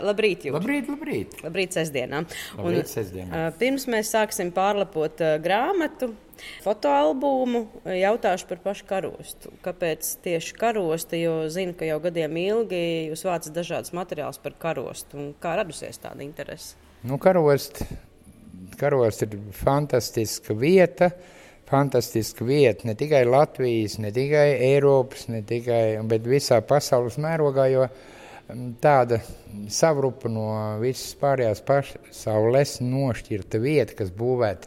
Labrīt, Jūri. Labrīt. Labrīt sestdienā. Labrīt sestdienā. Pirms mēs sāksim pārlapot grāmatu, fotoalbumu, jautāšu par pašu karostu. Kāpēc tieši karostu, jo zinu, ka jau gadiem ilgi jūs vācat dažādas materiālus par karostu. Un kā radusies tāda interese? Karost ir fantastiska vieta ne tikai Latvijas, ne tikai Eiropas, bet visā pasaules mērogā, jo tāda savrupa no visas pārējās pasaules nošķirta vieta, kas būvēta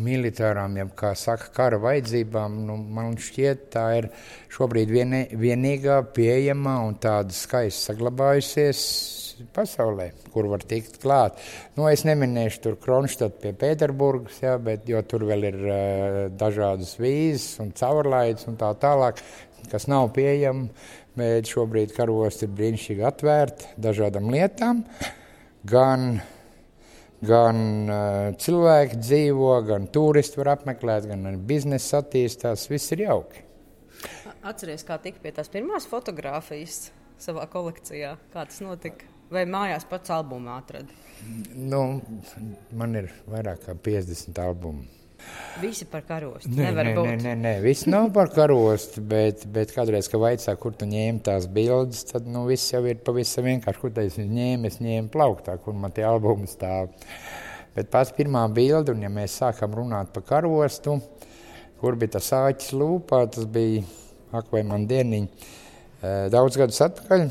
militārām, jeb, kā saka, kara vajadzībām, man šķiet, tā ir šobrīd vienīgā pieejamā un tāda skaisti saglabājusies pasaulē, kur var tikt klāt. Es neminēšu tur Kronštadtu pie Pēterburgas, jo tur vēl ir dažādas vīzes un caurlaides un tā tālāk, kas nav pieejama, bet šobrīd karosti ir brīnišķīgi atvērti dažādām lietām. Gan cilvēki dzīvo, gan turisti var apmeklēt, gan biznesa attīstās, viss ir jauki. Atceries, kā tika pie tās pirmās fotogrāfijas savā kolekcijā? Kā tas notika? Vai mājās pats albumu atradi? Man ir vairāk kā 50 albumu. Visi par karostu? Nē, visi nav par karostu, bet kādreiz, ka vaicā, kur tu ņēmi tās bildes, tad viss jau ir pavisam vienkārši, kur es ņēmu plauktā, kur man tie albumi stāv. Bet pats pirmā bilde, un ja mēs sākam runāt par karostu, kur bija tas āķis lūpā, tas bija, vai man dieniņi, daudz gadus atpakaļ.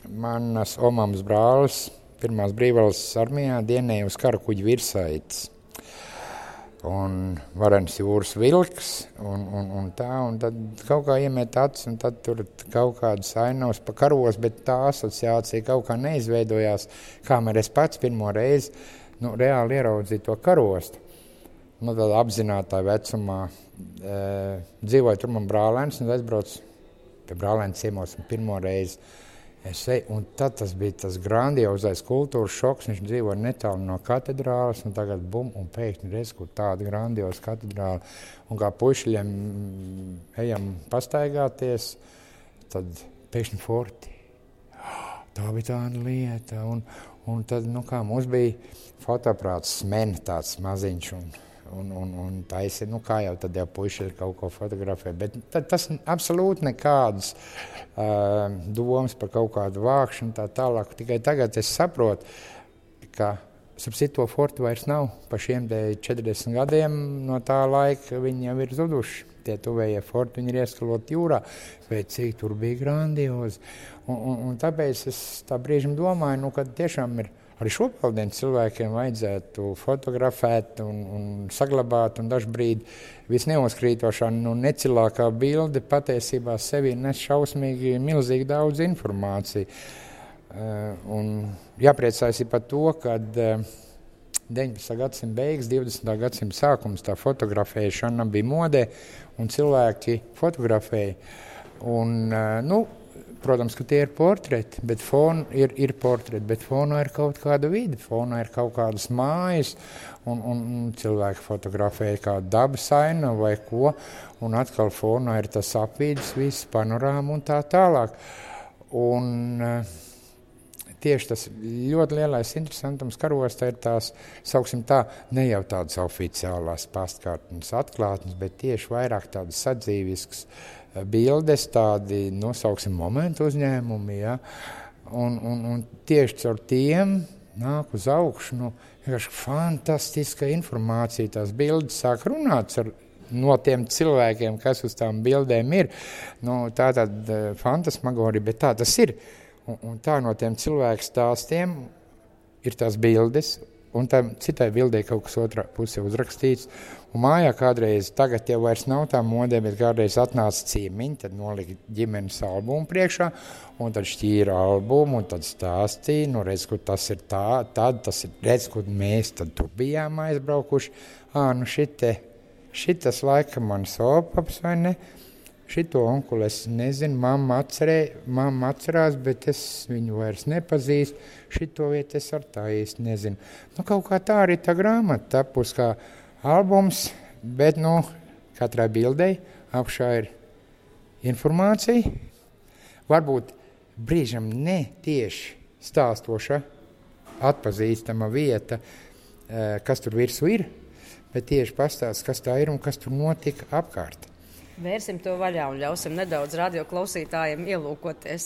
Manas omāmas brālis pirmās brīvvalsts armijā dienēja uz karakuģa virsaites. Un varens jūras vilks, un tad kaut kā iemet acis, un tad tur kaut kādas ainavas pa karos, bet tā asociācija kaut kā neizveidojās, kamēr es pats pirmo reizi reāli ieraudzīju to karostu. Tādā apzinātā vecumā dzīvoja tur man brālēns, un aizbraucu pie brālēna ciemos un pirmo reizi. Un tad tas bija tas grandiozais kultūras šoks, viņš dzīvoja netālu no katedrāles, un tagad bum, un pēkšņi reiz, kur tāda grandioza katedrāle, un kā puišļiem ejam pastaigāties, tad pēkšņi forti. Tā bija tāda lieta, un tad, mums bija fotoaprāts Smena tāds maziņš, un taisi, kā jau tad jau puiši ir kaut ko fotografē, bet tas absolūti nekādas domas par kaut kādu vākšanu tā tālāk. Tikai tagad es saprotu, ka to fortu vairs nav. Pa šiem 40 gadiem no tā laika viņi jau ir zuduši. Tie tuvējie forti, viņi ir ieskaloti jūrā, bet cik tur bija grandiozi. Un tāpēc es tā brīžam domāju, ka tiešām ir arī šopaldien cilvēkiem vajadzētu fotografēt un saglabāt, un dažbrīd visneuzkrītošā, necilākā bilde patiesībā sevī nes šausmīgi milzīgi daudz informāciju. Un jāpriecājas par to, ka 19. gadsimta beigas, 20. gadsimta sākums tā fotografēšana bija modē, un cilvēki fotografēja. Protams, ka tie ir portreti, bet ir portreti, bet fonā ir kaut kāda vide, fonā ir kaut kādas mājas, un cilvēki fotografēja kādu dabas ainavu vai ko, un atkal fonā ir tas apvidus, viss panorāma un tā tālāk. Un tieši tas ļoti lielais interesantums karostā ir tās, sauksim tā, ne jau tādas oficiālās pastkartnes atklātnes, bet tieši vairāk tādas sadzīviskas bildes, tādi, nosauksim, momentu uzņēmumi, un tieši caur tiem nāk uz augšu, vienkārši fantastiska informācija, tās bildes sāk runāt no tiem cilvēkiem, kas uz tām bildēm ir, tā tāda fantasmagorija, bet tā tas ir, un tā no tiem cilvēku stāstiem ir tās bildes, un tam citai bildē kaut kas otrā pusē uzrakstīts. Un mājā kādreiz, tagad jau vairs nav tā modē, bet kādreiz atnāca ciemiņi, tad nolika ģimenes albumu priekšā, un tad šķīra albumu, un tad stāstīja, redz, kur tas ir tā, tad tas ir, redz, kur mēs tad tur bijām aizbraukuši. Šitas laikam mans opaps, vai ne? Šito onkuli es nezinu, mamma atcerās, bet es viņu vairs nepazīstu. Šito vietu es ar tā īsti nezinu. Kaut kā tā arī tā grāmata tapus kā albums, bet katrai bildei apšā ir informācija. Varbūt brīžam ne tieši stāstoša atpazīstama vieta, kas tur virsū ir, bet tieši pastāst, kas tā ir un kas tur notika apkārt. Vērsim to vaļā un ļausim nedaudz radioklausītājiem ielūkoties.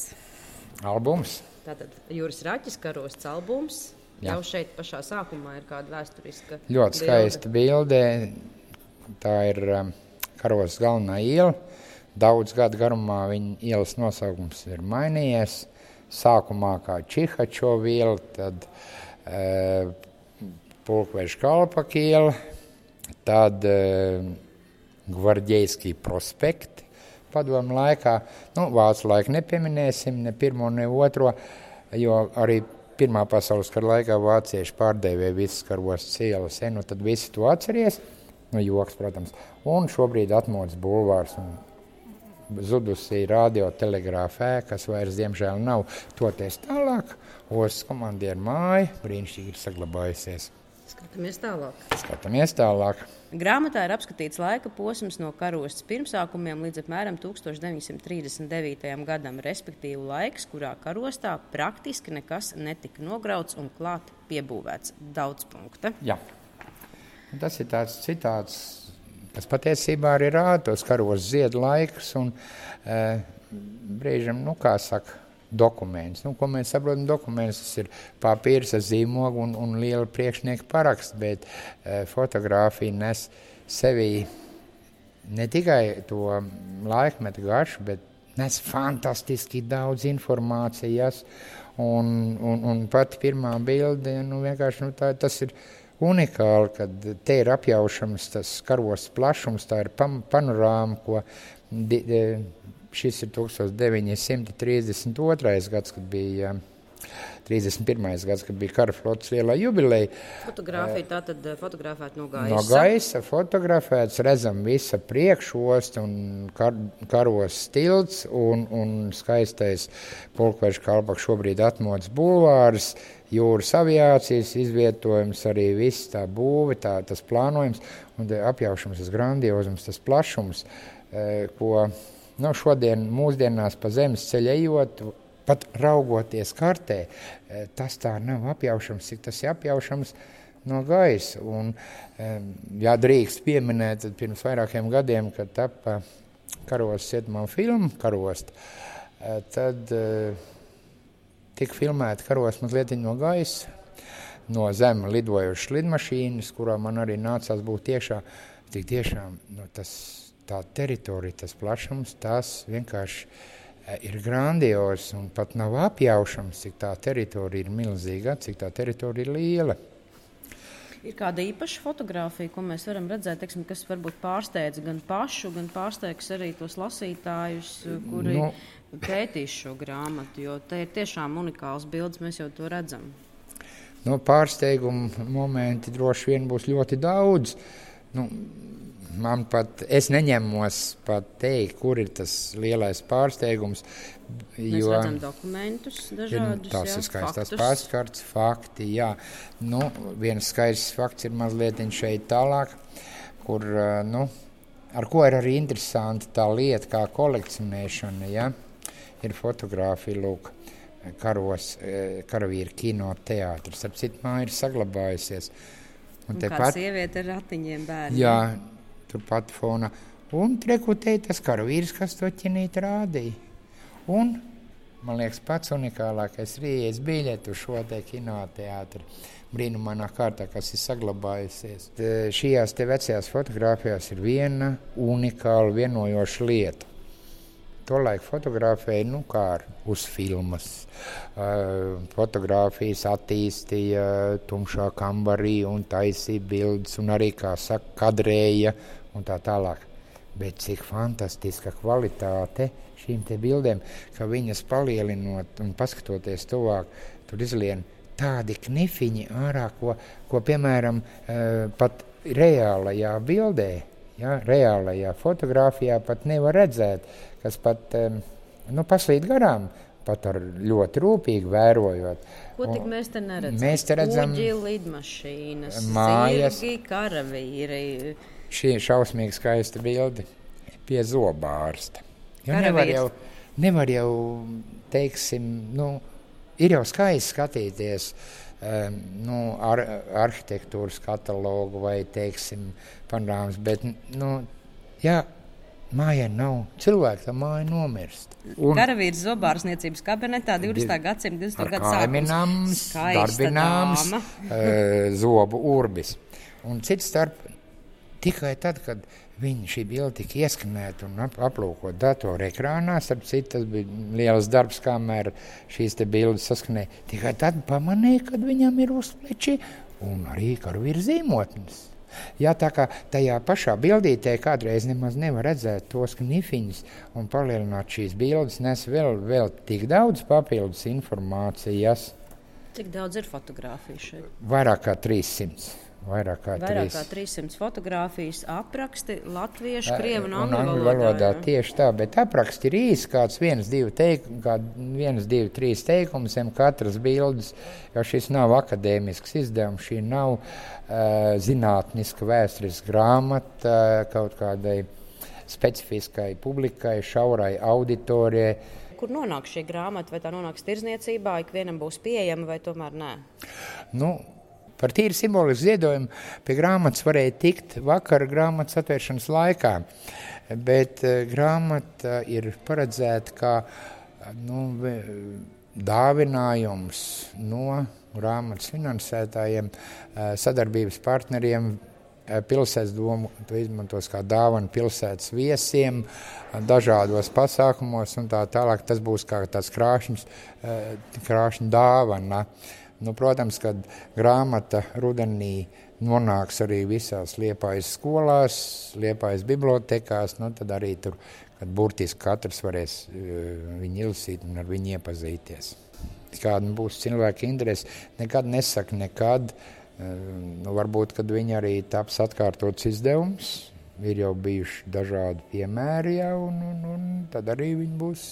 Albums. Tātad Juris Raķis karosts albums. Jā. Jau šeit pašā sākumā ir kāda vēsturiska Ļoti skaista bilde. Tā ir karosts galvenā iela. Daudz gadu garumā viņa ielas nosaukums ir mainījies. Sākumā kā Čihačova iela, tad Pulkveža Kalpaka iela, tad Gvardejskij prospekti padomu laikā. Vācu laiku nepieminēsim, ne pirmo, ne otro, jo arī Pirmā pasaules kara laikā vācieši pārdēvēja visas karostas ielas. Tad visi to atceries, joks, protams. Un šobrīd atmodas bulvārs un zudusī radiotelegrāfa ēka, kas vairs diemžēl nav. Toties tālāk, ostas komandieru māja brīnišķīgi ir saglabājusies. Skatāmies tālāk. Grāmatā ir apskatīts laika posms no karostas pirmsākumiem līdz apmēram 1939. gadam, respektīvi laiks, kurā karostā praktiski nekas netika nograuts un klāt piebūvēts. Daudz punkta. Jā. Tas ir tāds citāts, kas patiesībā arī rāda tos karostas ziedu laikus un brīžam, kā saka, dokuments. Ko mēs saprotam, dokuments tas ir papīrs ar zīmogu un liela priekšnieka paraksts, bet fotogrāfija nes sevī ne tikai to laikmetu garšu, bet nes fantastiski daudz informācijas un pati pirmā bilde, vienkārši tas ir unikāli, kad te ir apjaušams tas karostas plašums, tā ir panorāma, ko šis ir 1932. gads, kad bija 31. gads, kad bija kara flotes lielā jubileja. Fotogrāfija tātad fotografēta no gaisa. No gaisa fotografēts, redzam visa priekšosta un karostas tilts un skaistais Pulkveža Kalpaka šobrīd atmodas bulvārs, jūras aviācijas izvietojums, arī viss tā būve, tas plānojums un apjaušams, tas grandiozums, tas plašums, ko šodien mūsdienās pa zemes ceļu ejot, pat raugoties kartē, tas tā nav apjaušams, cik tas ir apjaušams no gaisa. Un, ja drīkst pieminēt, tad pirms vairākiem gadiem, kad tapa karostas cietumā filma Karosta, tad tika filmēta karosta mazliet no gaisa, no zeme lidojušas lidmašīnas, kurā man arī nācās būt iekšā. Tik tiešām tā teritorija, tas plašums, tas vienkārši ir grandios un pat nav apjaušams, cik tā teritorija ir milzīga, cik tā teritorija ir liela. Ir kāda īpaša fotogrāfija, ko mēs varam redzēt, teiksim, kas varbūt pārsteidz gan pašu, gan pārsteigs arī tos lasītājus, kuri pētīs šo grāmatu, jo te ir tiešām unikāls bildes, mēs jau to redzam. Pārsteigumu momenti droši vien būs ļoti daudz. Man pat, es neņemos pat teikt, kur ir tas lielais pārsteigums. Mēs redzam dokumentus dažādus, tas ir skaistās pastkartes, fakti, jā. Viens skaists fakts ir mazliet šeit tālāk, kur, ar ko ir arī interesanti tā lieta kā kolekcionēšana, ja? Ir fotogrāfija, lūk, karavīru kinoteātris, ap citu māju ir saglabājusies. Un kāda sieviete ar ratiņiem bērniem. Jā, turpat fonā. Un trekutēja tas karavīrs, kas to ķinīt rādīja. Un, man liekas, pats unikālākais rījies biļetu šo te kinoteātri. Brīnumainā kārtā, kas ir saglabājusies. Šajās te vecajās fotogrāfijās ir viena unikāla vienojoša lieta. Tolaik fotografēja, kā uz filmas. Fotogrāfijas attīstīja tumšā kambarī un taisīja bildes un arī, kā saka, kadrēja un tā tālāk. Bet cik fantastiska kvalitāte šīm te bildēm, ka viņas palielinot un paskatoties tuvāk, tur izlien tādi knifiņi ārā, ko piemēram, pat reālajā bildē, reālajā fotogrāfijā pat nevar redzēt, kas pat paslīd garām, pat ar ļoti rūpīgi vērojot. Ko tik mēs te neredzam? Mēs te redzam kuģi, lidmašīnas, mājas, zirgi, karavīri. Šī ir šausmīgi skaista bilde pie zobārsta. Nevar jau, teiksim, ir jau skaisti skatīties arhitektūras katalogu vai, teiksim, panorāmas, bet, mājai nav. Cilvēki tā māja nomirst. Karavīrs zobārstniecības kabinetā 20. gadsimta 20. gadu sākums. Darbināms, zobu urbis. Un cits starp tikai tad, kad šī bilde tika ieskanēta un aplūkot datoru ekrānā, starp citu, tas bija liels darbs, kamēr šīs te bildes saskanēja. Tikai tad pamanīja, kad viņam ir uz pleči un arī karavīra zīmotnes. Jā, tā kā tajā pašā bildītē kādreiz nemaz nevar redzēt tos knifiņus un palielināt šīs bildes, nes vēl tik daudz papildus informācijas. Cik daudz ir fotogrāfiju šeit? Vairāk kā 300. Vairāk kā 300 fotogrāfijas, apraksti latviešu, krievu un angļu valodā. Tieši tā, bet apraksti ir īsi, kāds 1, 2, 3 teikums, katras bildes, jo šis nav akadēmisks izdevums, šī nav zinātniska vēsturiska grāmata kaut kādai specifiskai publikai, šaurai auditorijai. Kur nonāk šī grāmata? Vai tā nonāks tirzniecībā, ikvienam būs pieejama vai tomēr nē? Par tīri simbolisku ziedojumu pie grāmatas varēja tikt vakara grāmatas atvēršanas laikā, bet grāmata ir paredzēta kā dāvinājums no grāmatas finansētājiem, sadarbības partneriem. Pilsētas doma to izmantos kā dāvanu pilsētas viesiem, dažādos pasākumos un tā tālāk. Tas būs kā tāds krāšņa dāvana. Protams, kad grāmata rudenī nonāks arī visās Liepājas skolās, Liepājas bibliotekās, tad arī tur, kad burtiski katrs varēs viņu izlasīt un ar viņu iepazīties. Kāda būs cilvēka interese, nekad nesaka nekad. Varbūt, kad viņi arī taps atkārtots izdevums, ir jau bijuši dažādi piemēri jau, un tad arī viņi būs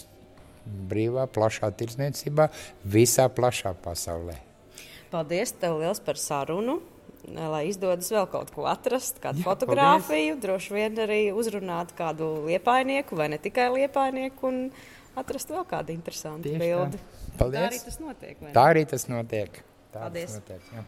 brīvā, plašā tirdzniecībā, visā plašā pasaulē. Paldies tev liels par sarunu, lai izdodas vēl kaut ko atrast, kādu fotogrāfiju, droši vien arī uzrunāt kādu liepājnieku vai ne tikai liepājnieku un atrast vēl kādu interesantu bildi. Paldies. Tā arī tas notiek. Tā arī tas notiek. Paldies. Jā.